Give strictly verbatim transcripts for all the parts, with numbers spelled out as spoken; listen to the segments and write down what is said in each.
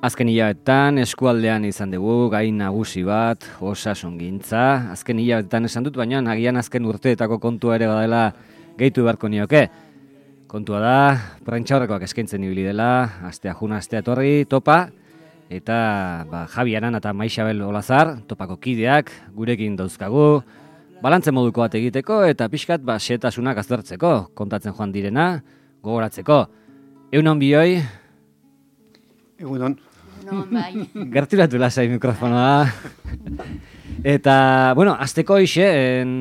Azken hilabetetan eskualdean izan dugu gai nagusi bat, osasungintza. Azken hilabetetan esan dut, baina agian azken urteetako kontua ere badela gehitu beharko nioke. Kontua da, prentxaurrekoak eskaintzen ibili dela, astea juna, astea etorri, topa, eta ba, Javi Aran eta Maixabel Olazar, topako kideak, gurekin dauzkagu, balantze moduko bat egiteko, eta pixkat ba, xehetasunak aztertzeko, kontatzen joan direna, gogoratzeko. Egunon bioi? Egunon. Egunon, bai. Gerturatu lasai mikrofonoa. Eta, bueno, azteko ixe, en,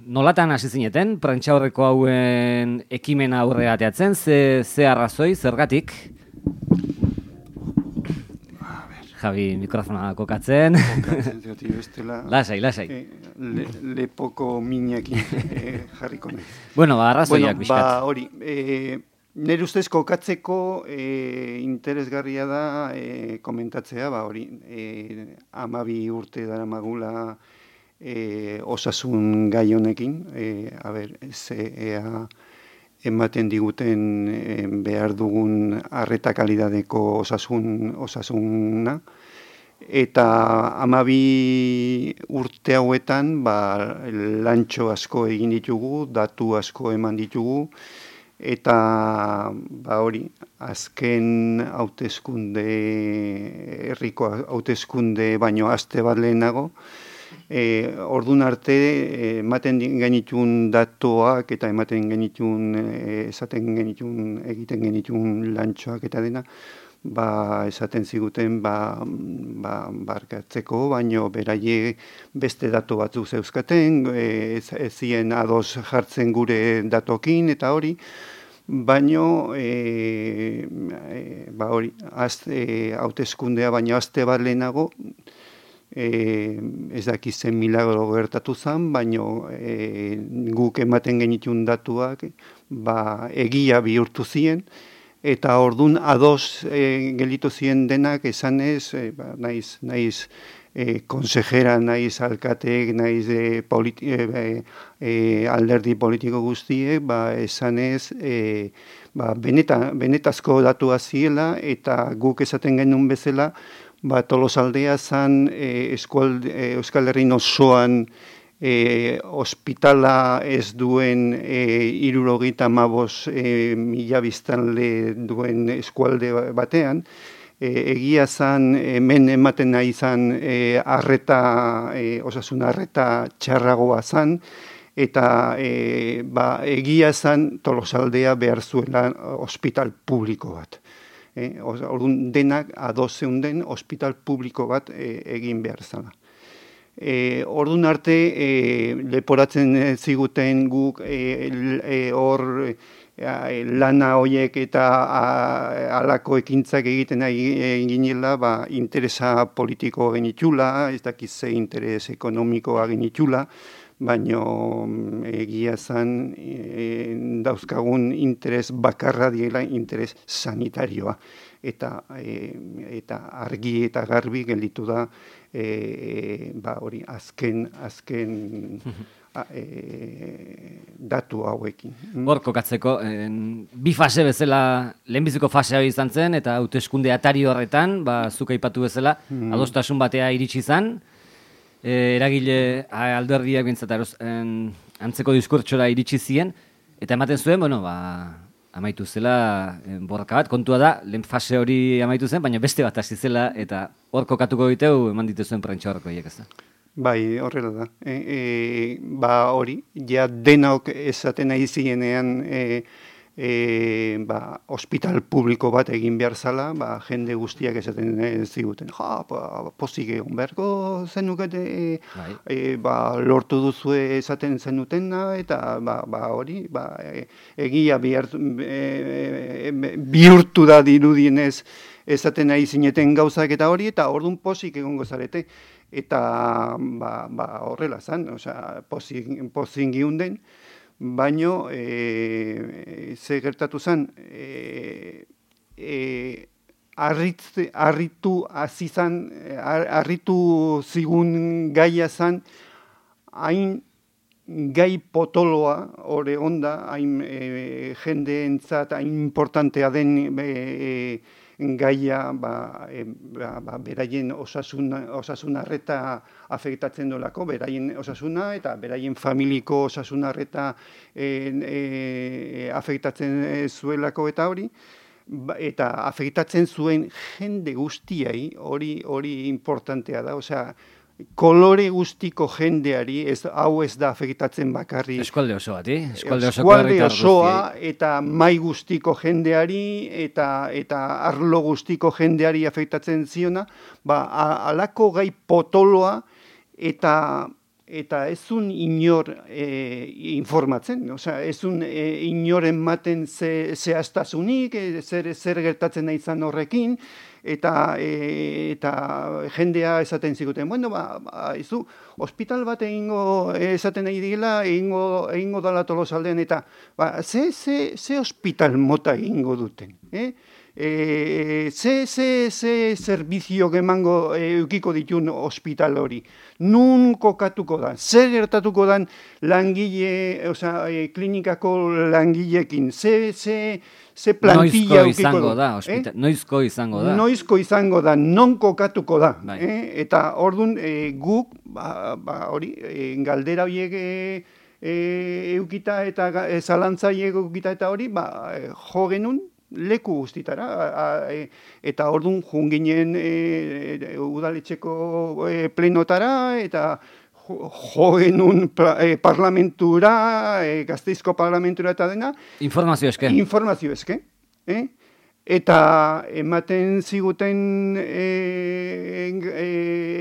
nolatan hasi zineten, prentxaurreko hauen ekimena aurre ateatzen, ze, ze arrazoi, zergatik? Javi, mikrofonoa kokatzen. Kokatzen, zati bestela. Lasai, lasai. Eh, le, lepoko minekin eh, jarriko nahi. Bueno, ba, arrazoiak bueno, bizkat. Ba, hori, eh, nire ustez kokatzeko eh, interesgarria da eh, komentatzea, ba, hori, eh, amabi urte dara magula eh, osasun gai honekin, eh, a ber, ze, ea, ematen diguten eh, behar dugun arreta kalidadeko osasun, osasuna, eta amabi urte hauetan ba, lantxo asko egin ditugu, datu asko eman ditugu, eta ba, hori, azken hauteskunde, herriko hauteskunde baino aste bat lehenago, E, ordun arte ematen genitun datuak eta ematen genitun e, esaten genitun egiten genitun lantxoak eta dena ba esaten ziguten ba ba barkatzeko baino beraie beste datu batzuk zeuzkaten ez ezien ados jartzen gure datokin eta hori baino e, e, ba hori aste hauteskundea baino aste bat lehenago E, ez dakiz zen milagro gertatu zen, baino e, guk ematen genitun datuak ba, egia bihurtu ziren, eta ordun ados e, gelitu ziren denak esanez, e, ba, naiz, naiz e, konsejera, naiz alkateek, naiz e, politi, e, e, alderdi politiko guztiek, ba, esanez e, ba, beneta, benetazko datua ziela, eta guk esaten genuen bezala, ba, Tolosaldea zan e, eskual, e, Euskal Herrin osoan e, ospitala ez duen e, irurogeita hamabost e, mila biztanle duen eskualde batean, e, egia zan hemen ematen nahi zan e, arreta, e, osasun arreta txarragoa zan, eta e, ba, egia zan Tolosaldea behar zuela ospital publiko bat. Eh, Orduan denak ados zeunden ospital publiko bat eh, egin behar zala. Eh, Orduan arte eh, leporatzen ziguten guk eh, hor eh, eh, lana hoiek eta halako ekintzak egiten ginela, ba, interesa politiko genitula, ez dakiz ze interes ekonomikoa genitula, baino egia zan e, dauzkagun interes bakarra diela interes sanitarioa. Eta, e, eta argi eta garbi gelditu da e, ba, hori azken, azken a, e, datu hauekin. Hor kokatzeko, en, bi fase bezala, lehenbiziko fasea izan zen, eta hauteskunde atari horretan, ba, zuk aipatu bezala, mm. adostasun batea iritsi zen, E, eragile alderdiak bintzat antzeko diskurtsora iritsi ziren, eta ematen zuen, bueno, ba, amaitu zela en, borroka bat, kontua da, lehen fase hori amaitu zen, baina beste bat hasi zela, eta hor kokatuko diteu eman dituzuen prentxaurreko hiek, ez da? Bai, horrela da. E, e, ba hori, ja denok esaten nahi zirenean e, E, ba, ospital publiko bat egin behar zala, ba, jende guztiak esaten ziguten, ja, ba, pozik egon beharko zenukete, e, e, ba, lortu duzue esaten zenutena, eta ba, ba, hori, ba, e, egia bihar, e, e, bihurtu da dirudienez esaten nahi zineten gauzak eta hori, eta orduan pozik egongo zarete, eta ba, ba, horrela zan, osea, pozik, pozik giunden, baino e, ze gertatu zen e, e, arritze, arritu azizan, arritu zigun gaia zen hain gai potoloa ore onda, hain e, jendeentzat hain importantea den e, gaia ba, e, ba, ba, beraien osasun, osasun arreta afektatzen dolako, beraien osasuna eta beraien familiko osasun arreta e, e, afektatzen zuelako eta hori, eta afektatzen zuen jende guztiai, hori hori importantea da, osea, kolore guztiko jendeari, ez, hau ez da afektatzen bakarri. Eskualde osoa, ti? Eskualde, Eskualde osoa eta mai guztiko jendeari eta eta arlo guztiko jendeari afektatzen ziona, ba, alako gai potoloa eta eta ezun inor e, informatzen, osea, ezun e, inoren maten ze, zehaztasunik, e, zer, zer gertatzen nahi izan horrekin, eta e, eta jendea esaten ziguten, bueno, ba, ba izu, hospital bat egingo esaten nahi digela, egingo, egingo dala Tolosaldean, eta ba, ze, ze, ze hospital mota egingo duten, eh? E, ze, ze, ze servizio emango e, eukiko ditun hospital hori. Nun kokatuko da, zer gertatuko dan langile, osea, e, klinikako langilekin, ze, ze, ze plantilla eukiko izango da, hospital, eh? Noizko izango da. Noizko izango da, non kokatuko da. Bai. Eh? Eta orduan e, guk, ba, ba, hori, e, galdera horiek e, e, eukita eta e, zalantza horiek eukita eta hori, ba, e, jo genuen, leku guztitara, a, a, e, eta orduan junginen e, udaletxeko e, plenotara, eta jo genuen e, parlamentura, e, Gasteizko parlamentura eta dena. Informazio eske. Informazio eske. Eh? Eta ematen ziguten e, e,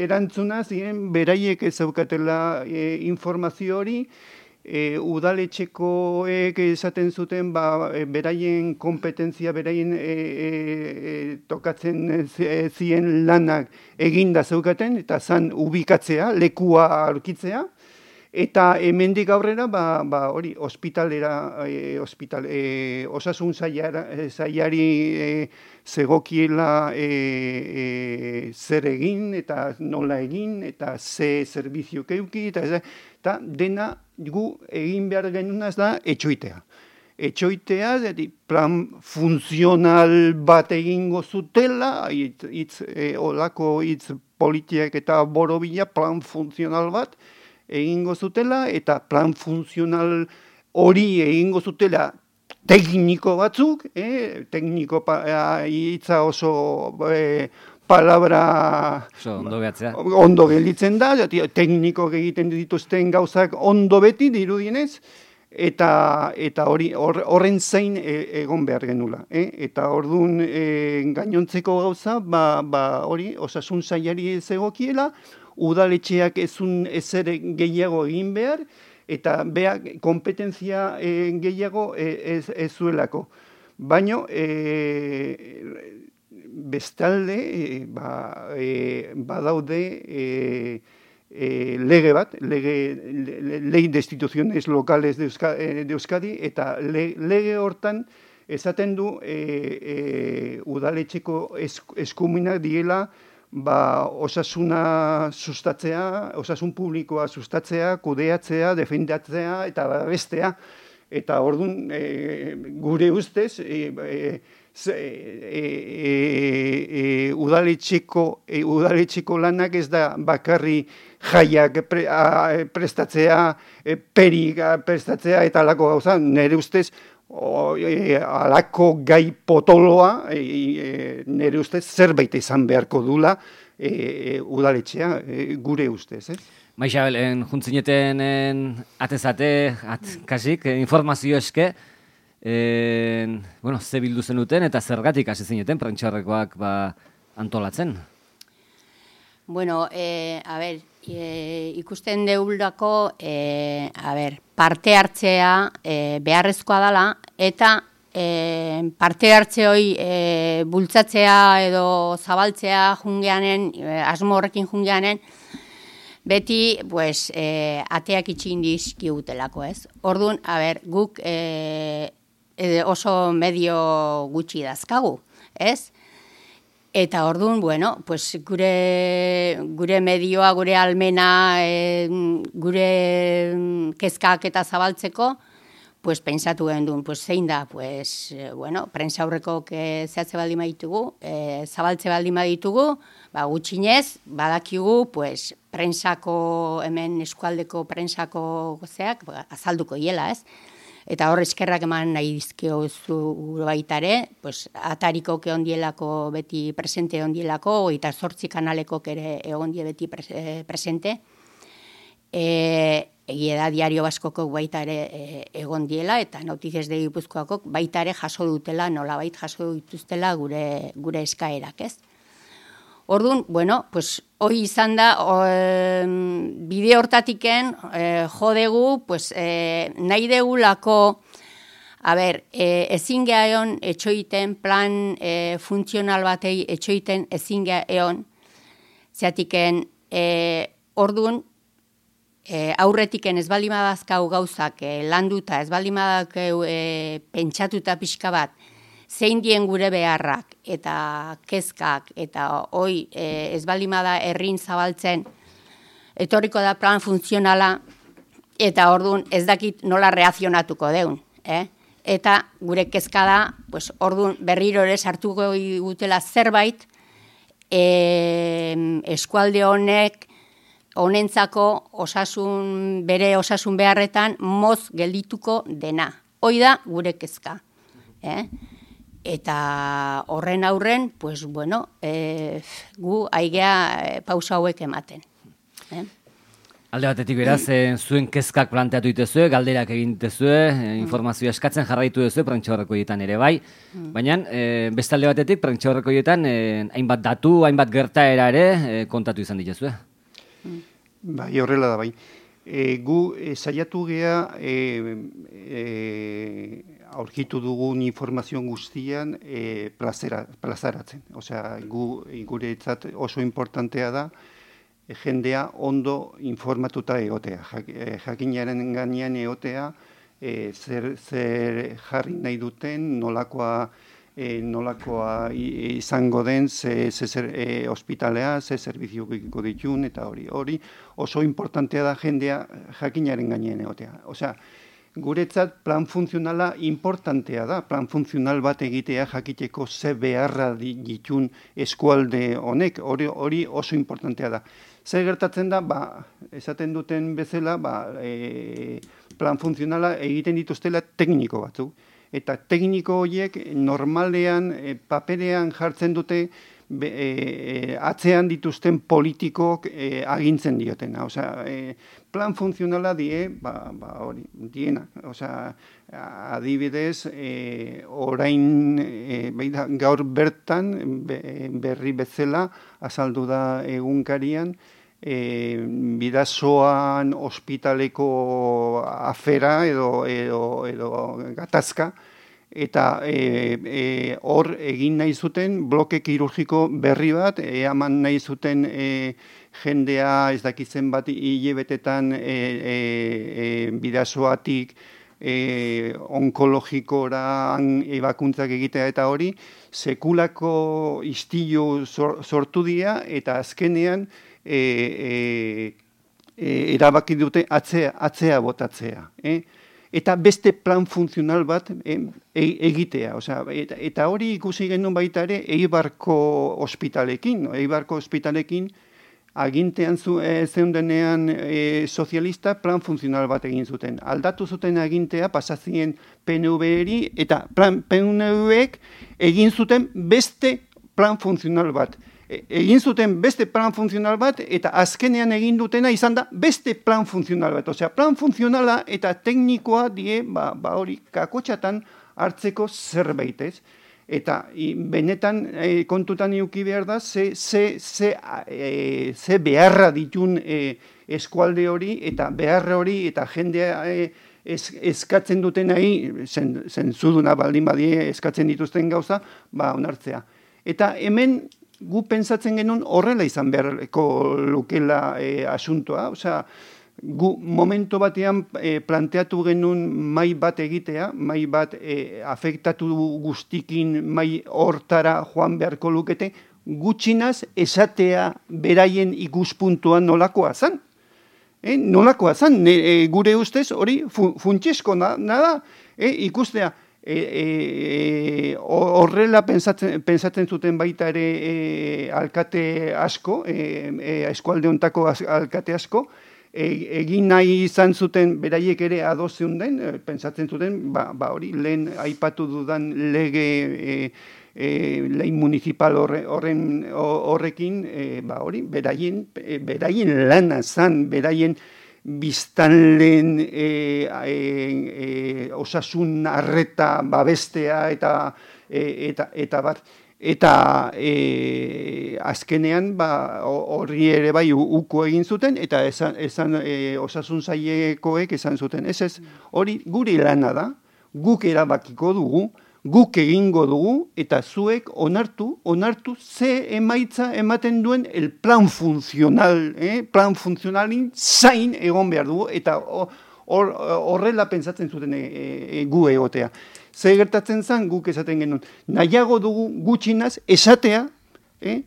erantzuna ziren beraiek ez zaukatela e, informazio hori, E, udaletxekoek esaten zuten ba, e, beraien kompetentzia, beraien e, e, tokatzen zien lanak eginda zeukaten, eta zan ubikatzea, lekua aurkitzea, eta hemendik aurrera, ba, ba, hori, ospitalera, e, ospital, e, osasun sailari e, zegokiela e, e, zer egin, eta nola egin, eta ze zerbizio keuki, eta, eta dena gu egin behar genunaz da etxoitea. Etxoitea, plan funtzional bat egingo zutela, itz, itz, e, olako hitz politiak eta borobila, plan funtzional bat egingo zutela, eta plan funtzional hori egingo zutela tekniko batzuk, eh? tekniko hitza oso e, palabra so, ondo behatzea. Ondo gelditzen da, tekniko egiten dituzten gauzak ondo beti dirudienez, eta eta hori horren zain e, egon behar genula. Eh? Eta orduan e, gainontzeko gauza, ba, ba hori osasun sailari zegokiela, udaletxeak ezun ezer gehiago egin behar, eta beak kompetentzia e, gehiago e, ez, ez zuelako. Baina, e, bestalde, e, ba, e, badaude e, e, lege bat, lege, le, lei de instituciones locales de Euskadi, de Euskadi eta le, lege hortan esaten du e, e, udaletxeko eskuminak diela ba, osasuna sustatzea, osasun publikoa sustatzea, kudeatzea, defendatzea eta bestea. Eta orduan, e, gure ustez, e, e, e, e, e, udaletxeko, e, udaletxeko lanak ez da bakarri jaiak pre, a, prestatzea, e, perik prestatzea eta alako gauza, nire ustez, O, e, alako gai potoloa, e, e, nire ustez, zerbait izan beharko dula e, e, udaletxea, e, gure ustez, ez? Maixabel, en, juntzineten atezate, at, kasik, informazio eske, en, bueno, ze bildu zenuten eta zergatik hasi zineten prentxarrekoak ba, antolatzen? Bueno, eh, a ver, e, ikusten deulako, e, a ver, parte hartzea e, beharrezkoa dela, eta e, parte hartze hori e, bultzatzea edo zabaltzea jungeanen, e, asmo horrekin jungeanen, beti, pues, e, ateak itxin dizkigutelako, ez? Orduan, a ber, guk e, e, oso medio gutxi dazkagu, ez? Eta orduan, bueno, pues gure, gure medioa, gure almena, e, gure kezkak eta zabaltzeko, pues pentsatu gendun, pues zein da, pues, eh, bueno, prensa aurreko zehatze baldin baditugu, eh, zabaltze baldin baditugu, ba, gutxinez, badakigu, pues, prensako, hemen eskualdeko prensako zeak, ba, azalduko hiela, ez? Eta hor eskerrak eman nahi dizkio zu baitare, pues, atariko egon dielako beti presente egon dielako, eta zortzi kanaleko ere egon die beti presente. E, egia da Diario Baskoko baita ere e, egon diela, eta Noticias de Gipuzkoako baita ere jaso dutela, nolabait jaso dituztela gure, gure eskaerak, ez? Orduan, bueno, pues, hoi izan da, o, e, bide hortatiken e, jodegu, pues, e, nahi degulako, a ber, e, ezin gehiagon etxoiten plan e, funtzional batei etxoiten ezin gehiagon, zeatiken, e, orduan, E, aurretiken ez baldin badazkau gauzak e, landuta, ez baldin badakau e, pentsatuta pixka bat, zein dien gure beharrak eta kezkak eta hoi e, ez baldin bada herrin zabaltzen, etorriko da plan funtzionala eta orduan ez dakit nola reakzionatuko deun. Eh? Eta gure kezka da, pues, orduan berriro ere sartuko gutela zerbait e, eskualde honek honentzako osasun, bere osasun beharretan moz geldituko dena. Hoi da gure kezka. Eh? Eta horren aurren, pues, bueno, eh, gu aigea eh, pausa hauek ematen. Eh? Alde batetik beraz, eh, zuen kezkak planteatu dituzue, galderak egin dituzue, eh, informazioa eskatzen jarraitu duzue prentsaurrekoietan ere bai. Baina, eh, beste alde batetik, prentsaurrekoietan eh, hainbat datu, hainbat gertaera ere eh, kontatu izan dituzue. Bai, horrela da, bai. E, gu e, saiatu gea e, e, aurkitu dugun informazio guztian e, plazera, plazaratzen. Osea, gu guretzat oso importantea da e, jendea ondo informatuta egotea. Jak, e, jakinaren gainean egotea e, zer, zer jarri nahi duten, nolakoa E, nolakoa izango den, ze, ze zer, e, ospitalea, ze zerbizioiko ditun, eta hori. Hori oso importantea da jendea jakinaren gainean egotea. Osea, guretzat plan funtzionala importantea da, plan funtzional bat egitea jakiteko ze beharra ditun eskualde honek, hori, hori oso importantea da. Zer gertatzen da, ba, esaten duten bezala, ba, e, plan funtzionala egiten dituztela tekniko batzuk. Eta tekniko horiek normalean e, paperean jartzen dute be, e, atzean dituzten politikok e, agintzen diotena. Osea, e, plan funtzionala die, ba, ba hori, diena. Osea, adibidez, e, orain e, beida, gaur bertan be, berri bezala azaldu da egunkarian, E, bidasoan ospitaleko afera edo, edo, edo gatazka, eta hor e, e, egin nahi zuten bloke kirurgiko berri bat, eaman nahi zuten e, jendea ez dakitzen bat hilebetetan e, e, e, bidasoatik e, onkologikora ebakuntzak egitea eta hori, sekulako istilu sortu dira eta azkenean E, e, e, erabaki dute atzea, atzea botatzea. Eh? Eta beste plan funtzional bat e, e, egitea. Osea, eta, eta hori ikusi genuen baita ere Eibarko ospitalekin. Eibarko ospitalekin agintean zu, e, zeundenean e, sozialista plan funtzional bat egin zuten. Aldatu zuten agintea pasazien P N V-eri eta plan P N V-ek egin zuten beste plan funtzional bat. Egin zuten beste plan funtzional bat, eta azkenean egin dutena izan da beste plan funtzional bat. Osea, plan funtzionala eta teknikoa die, ba, ba hori, kakotxatan hartzeko zerbait, ez? Eta i, benetan e, kontutan iuki behar da, ze, ze, ze, e, ze beharra ditun e, eskualde hori, eta beharra hori, eta jendea e, ez, eskatzen duten nahi, zen, zentzuduna baldin badie eskatzen dituzten gauza, ba, onartzea. Eta hemen, gu pentsatzen genuen horrela izan beharko lukela e, asuntoa. Osea, gu momento batean e, planteatu genuen mai bat egitea, mai bat e, afektatu guztikin mai hortara joan beharko lukete, gutxinaz esatea beraien ikuspuntuan nolakoa zen. E, nolakoa zan, ne, e, gure ustez hori fu, funtsesko nada, e, ikustea, E, e, horrela pensatzen, pensatzen zuten baita ere e, alkate asko, e, e, eskualde hontako alkate asko, e, egin nahi izan zuten beraiek ere ados zeunden, e, pentsatzen zuten, ba, ba hori lehen aipatu dudan lege e, e, lei municipal horre, horren horrekin, e, ba hori beraien, e, beraien lana zan, beraien biztanleen e, e, e, osasun arreta babestea eta e, eta eta bat eta e, azkenean ba horri ere bai uko egin zuten eta esan, esan e, osasun sailekoek esan zuten ez ez hori guri lana da guk erabakiko dugu guk egingo dugu eta zuek onartu, onartu ze emaitza ematen duen el plan funtzional, eh? plan funtzionalin zain egon behar dugu eta hor, horrela pentsatzen zuten e, e, gu egotea. Ze gertatzen zen guk esaten genuen, nahiago dugu gutxinaz esatea, eh?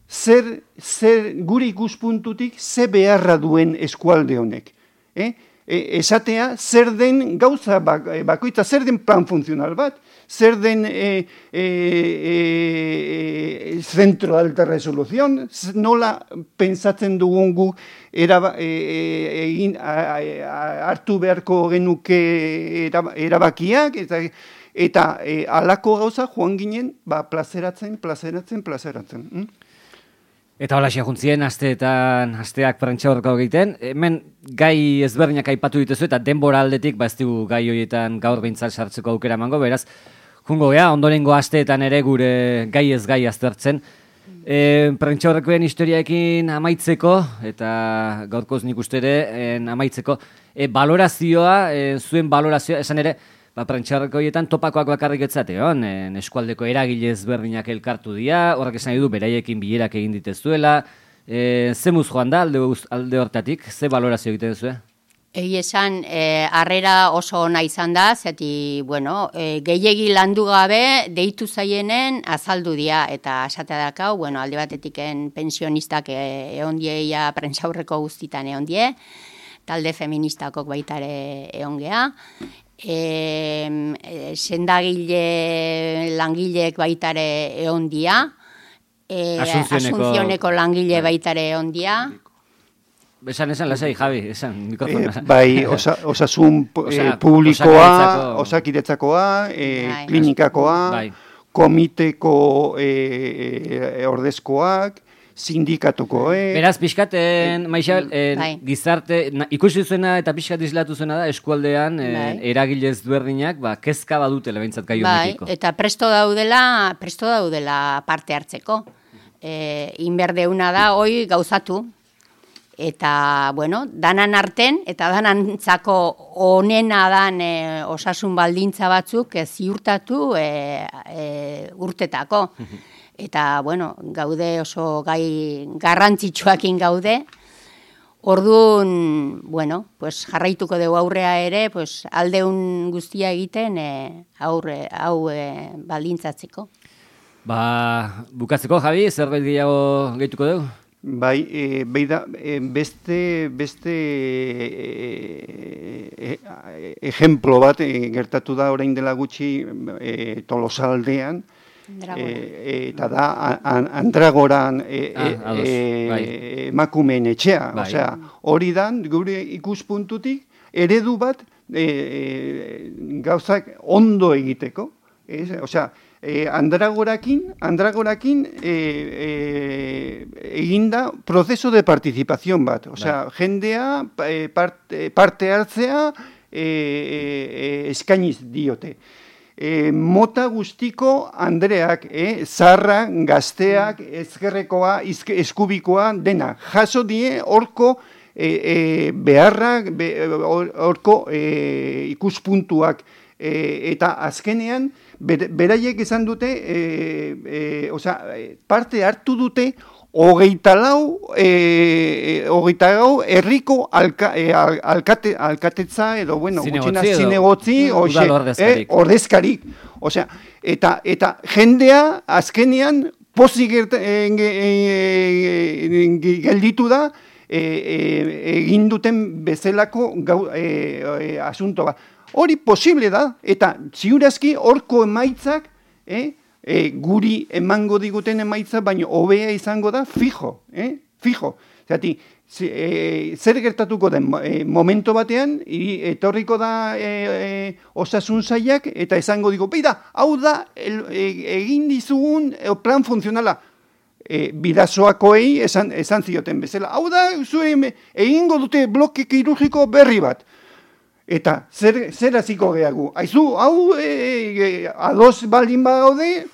zer, zer gure ikuspuntutik ze beharra duen eskualde honek. Eh? E, esatea zer den gauza bakoitza, zer den plan funtzional bat, zer den e, e, e, centro de alta resolución, nola pentsatzen dugun gu eraba, e, egin, a, a, hartu beharko genuke erabakiak, eta, eta e, alako gauza joan ginen ba, plazeratzen, plazeratzen, plazeratzen. Hm? Eta hola juntzien, asteetan, asteak prentsa horreko egiten. Hemen gai ezberdinak aipatu dituzu eta denbora aldetik, ba ez dugu gai horietan gaur behintzat sartzeko aukera emango, beraz, jungo gea, ondorengo asteetan ere gure gai ez gai aztertzen. E, prentsa horrekoen historiaekin amaitzeko, eta gaurkoz nik uste ere, en, amaitzeko, e, balorazioa, e, zuen balorazioa, esan ere, ba, prentxarreko horietan topakoak bakarrik etzate, hon, eskualdeko eragile ezberdinak elkartu dira, horrek esan du beraiekin bilerak egin ditezuela, e, ze muz joan da alde, alde hortatik, ze balorazio egiten duzu? Egi esan, e, arrera oso ona izan da, zeti, bueno, e, gehiegi landu gabe, deitu zaienen azaldu dira, eta esatea dakau, bueno, alde batetiken pensionistak e, egon dieia prentxaurreko guztitan egon die, talde feministakok baitare egon gea, E, e, sendagile langileek baitare egon dia, e, Asunzioneko, Asunzioneko langile baitare egon dia. Esan, esan, lasai, Javi, esan, mikrofona. E, bai, osa, osasun Osa, e, publikoa, osakidetzakoa, osakidetzakoa, e, bai. klinikakoa, bai. komiteko e, e, ordezkoak, sindikatuko, eh? Beraz, pixkaten, Maixabel, eh, bai. gizarte, na, ikusi zuena eta pixkat islatu zuena da, eskualdean, eh, Bai. eragile ezberdinak, ba, kezka badutela behintzat gai Bai, honekiko. eta presto daudela, presto daudela parte hartzeko. E, inberdeuna da, hoi gauzatu. Eta, bueno, danan arten, eta danantzako onena dan e, osasun baldintza batzuk e, ziurtatu e, e, urtetako. Eta, bueno, gaude oso gai garrantzitsuakin gaude. Orduan, bueno, pues jarraituko dugu aurrea ere, pues aldeun guztia egiten e, aurre, hau e, baldintzatzeko. Ba, bukatzeko, Javi, zerbait gehiago gehituko dugu? Bai, e, beida, e, beste, beste e, e, e, ejemplo bat e, gertatu da orain dela gutxi e, Tolosaldean, E, eta da an, Andragoran e, ah, ados, e, bai. emakumeen etxea, Bai. osea, hori dan gure ikuspuntutik eredu bat e, e, gauzak ondo egiteko, ez? Osea, e, Andragorakin, Andragorakin e, e, eginda prozeso de participación bat, osea, bai. jendea e, parte, parte hartzea e, e, eskainiz diote. E, mota guztiko Andreak, eh, zarra, gazteak, ezkerrekoa, izke, eskubikoa, dena, jaso die horko e, e, beharrak, be, horko e, ikuspuntuak, e, eta azkenean, ber, beraiek izan dute, e, e, osea, parte hartu dute, hogeita lau, e, hogeita lau, herriko alka, e, al, alkate, alkatetza, edo, bueno, gutxina zinegotzi, ordezkarik. Eh, ordezkarik. Osea, eta, eta jendea azkenean pozik e, e, e, gelditu da, e, e, egin duten bezalako gau, e, e, asunto bat. Hori posible da, eta ziurazki horko emaitzak e, e, guri emango diguten emaitza, baina hobea izango da fijo, eh? fijo. Zati, e, zer gertatuko den e, momento batean, i, etorriko da e, e, osasun sailak, eta esango digo, beida, hau da el, e, egin dizugun e, plan funtzionala. E, bidazoakoei esan, esan zioten bezala. Hau da, zuen, egingo dute bloke kirurgiko berri bat. Eta zer, zer hasiko gehagu? Aizu, hau e, e, ados baldin bagaude,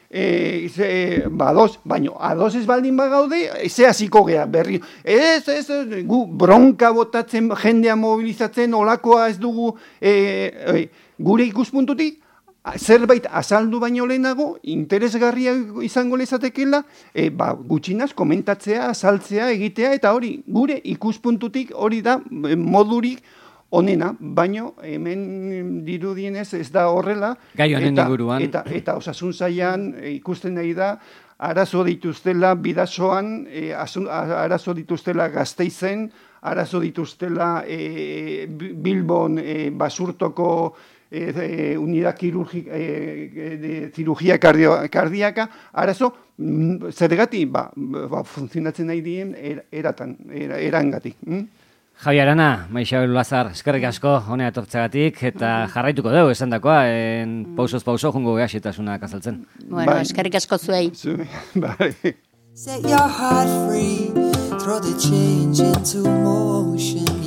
e, ze, badoz, baino ados ez baldin bagaude, ze hasiko geha berri. Ez, ez, gu bronka botatzen, jendea mobilizatzen, olakoa ez dugu e, e, gure ikuspuntutik, zerbait azaldu baino lehenago, interesgarria izango lezatekela, e, ba, gutxinaz komentatzea, azaltzea, egitea, eta hori, gure ikuspuntutik hori da modurik onena, baino hemen dirudienez ez da horrela. Gai honen inguruan. Eta, eta osasun sailan ikusten nahi da, arazo dituztela bidasoan, e, arazo dituztela Gasteizen, arazo dituztela e, Bilbon e, Basurtoko E, e, unidad quirúrgica, e, de cirugía cardio, cardíaca, arazo, zergati, ba, ba, funtzionatzen nahi dien er, eratan, er, erangatik. Mm? Javi Arana, Maixabel Lazar, eskerrik asko honea etortzeagatik, eta jarraituko dugu esan dakoa, en pausoz pauso jungo gehaxetasunak azaltzen. Bueno, eskerrik asko zuei. Zuei, bai. Set your heart free, throw the change into motion.